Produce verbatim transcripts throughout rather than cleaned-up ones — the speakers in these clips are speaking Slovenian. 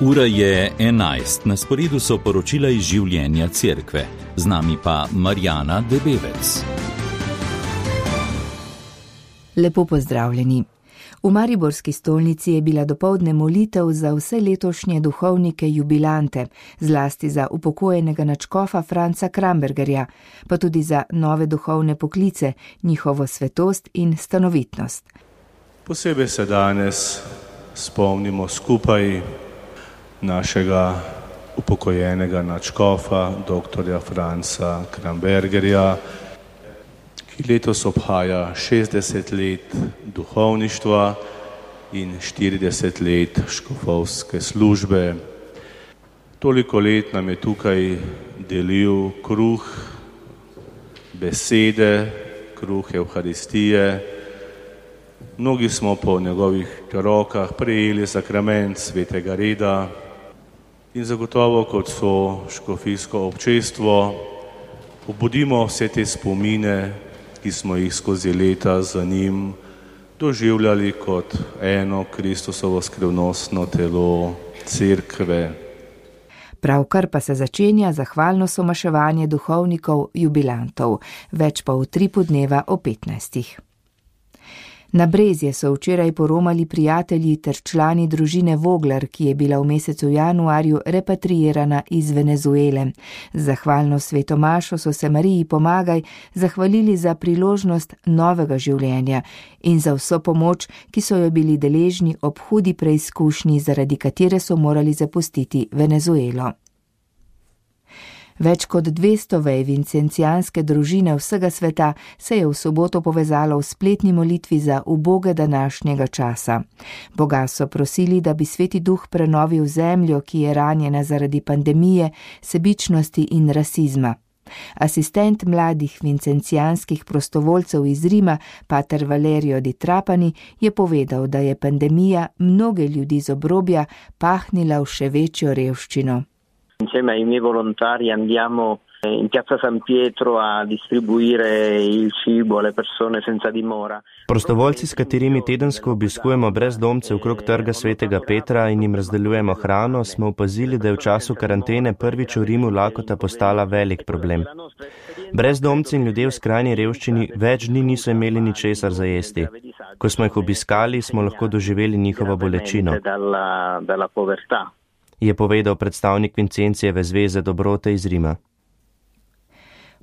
Ura je enajst, na sporedu so poročila iz življenja cerkve. Z nami pa Marjana Debevec. Lepo pozdravljeni. V mariborski stolnici je bila dopoldne molitev za vse letošnje duhovnike jubilante, zlasti za upokojenega nadškofa Franca Krambergerja, pa tudi za nove duhovne poklice, njihovo svetost in stanovitnost. Posebej se danes spomnimo skupaj našega upokojenega nadškofa, doktorja Franca Krambergerja, ki letos obhaja šestdeset let duhovništva in štirideset let škofovske službe. Toliko let nam je tukaj delil kruh besede, kruh Evharistije. Mnogi smo po njegovih rokah prejeli sakrament svetega reda in zagotovo kot so škofijsko občestvo obudimo vse te spomine, ki smo jih skozi leta za njim doživljali kot eno Kristusovo skrivnostno telo cerkve. Pravkar pa se začenja zahvalno somaševanje duhovnikov jubilantov, več pa v tripu dneva o petnajstih. Na Brezje so včeraj poromali prijatelji ter člani družine Vogler, ki je bila v mesecu januarju repatriirana iz Venezuele. Z zahvalno sveto mašo so se Mariji Pomagaj zahvalili za priložnost novega življenja in za vso pomoč, ki so jo bili deležni ob hudi preizkušnji, zaradi katere so morali zapustiti Venezuelo. Več kot dvesto vej vincencijanske družine vsega sveta se je v soboto povezalo v spletni molitvi za uboge današnjega časa. Boga so prosili, da bi Sveti Duh prenovil zemljo, ki je ranjena zaradi pandemije, sebičnosti in rasizma. Asistent mladih vincencijanskih prostovoljcev iz Rima, pater Valerio Di Trapani, je povedal, da je pandemija mnoge ljudi z obrobja pahnila v še večjo revščino. Insieme ai miei volontari andiamo in piazza San Pietro a distribuire il cibo alle persone senza dimora. Prostovoljci, s katerimi tedensko obiskujemo brezdomce okrog trga Svetega Petra in jim razdeljujemo hrano, smo opazili, da je v času karantene prvič v Rimu lakota postala velik problem. Brezdomci in ljudje v skrajni revščini več dni niso imeli ničesar za jesti. Ko smo jih obiskali, smo lahko doživeli njihovo bolečino, je povedal predstavnik Vincencijeve zveze dobrote iz Rima.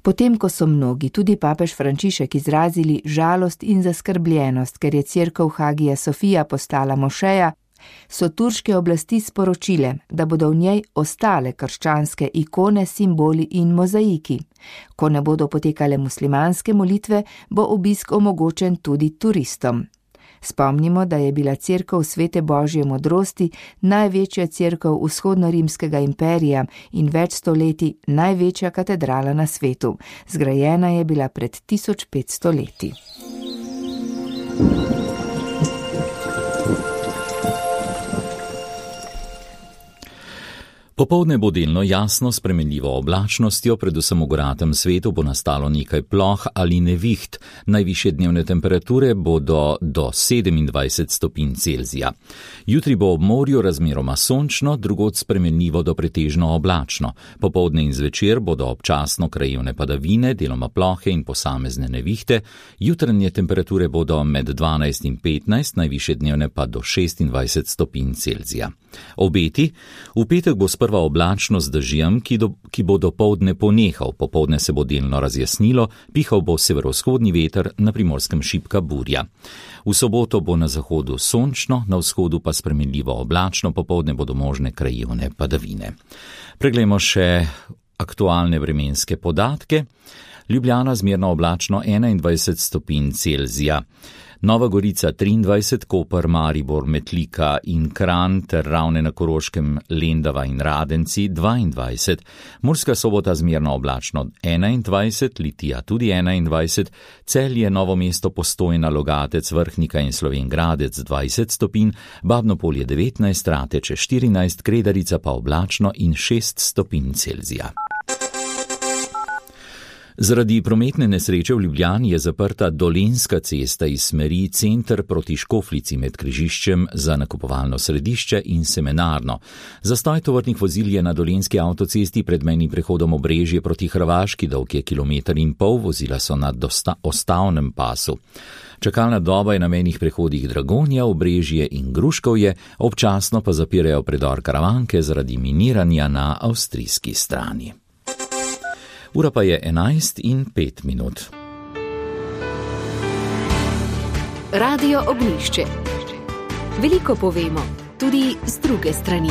Potem, ko so mnogi, tudi papež Frančišek, izrazili žalost in zaskrbljenost, ker je cerkev Hagija Sofija postala mošeja, so turške oblasti sporočile, da bodo v njej ostale krščanske ikone, simboli in mozaiki. Ko ne bodo potekale muslimanske molitve, bo obisk omogočen tudi turistom. Spomnimo, da je bila cerkev Svete Božje modrosti največja cerkev vzhodnorimskega imperija in več stoletij največja katedrala na svetu. Zgrajena je bila pred tisoč petsto leti. Popoldne bo delno jasno spremenljivo oblačnostjo, predvsem v goratem svetu bo nastalo nekaj ploh ali neviht. Najvišje dnevne temperature bodo do sedemindvajset stopinj Celzija. Jutri bo ob morju razmeroma sončno, drugod spremenljivo do pretežno oblačno. Popoldne in zvečer bodo občasno krajevne padavine, deloma plohe in posamezne nevihte. Jutranje temperature bodo med dvanajst in petnajst, najvišje dnevne pa do šestindvajset stopinj Celzija. Obeti: v petek bo sprva oblačno z dežjem, ki, do, ki bo dopoldne ponehal, popoldne se bo delno razjasnilo, pihal bo severovzhodni veter, na Primorskem šibka burja. V soboto bo na zahodu sončno, na vzhodu pa spremenljivo oblačno, popoldne bodo možne krajevne padavine. Preglejmo še aktualne vremenske podatke. Ljubljana zmerno oblačno enaindvajset stopinj Celzija. Nova Gorica triindvajset, Koper, Maribor, Metlika in Kranj ter Ravne na Koroškem, Lendava in Radenci dvaindvajset, Murska Sobota zmerno oblačno enaindvajset, Litija tudi enaindvajset, Celje, Novo mesto, Postojna, Logatec, Vrhnika in Slovenj Gradec dvajset stopinj, Babno Polje devetnajst, Rateče štirinajst, Kredarica pa oblačno in šest stopinj Celzija. Zaradi prometne nesreče v Ljubljani je zaprta Dolenjska cesta iz smeri center proti Škofljici med križiščem za nakupovalno središče in semenarno. Zastoj tovornih vozil je na Dolenjski avtocesti pred mejnim prehodom Obrežje proti Hrvaški, dolg je kilometer in pol, vozila so na dosta, ostavnem pasu. Čakalna doba je na mejnih prehodih Dragonja, Obrežje in Gruškovje, občasno pa zapirajo predor Karavanke zaradi miniranja na avstrijski strani. Ura pa je enajst in pet minut. Radio Ognjišče. Veliko povemo, tudi z druge strani.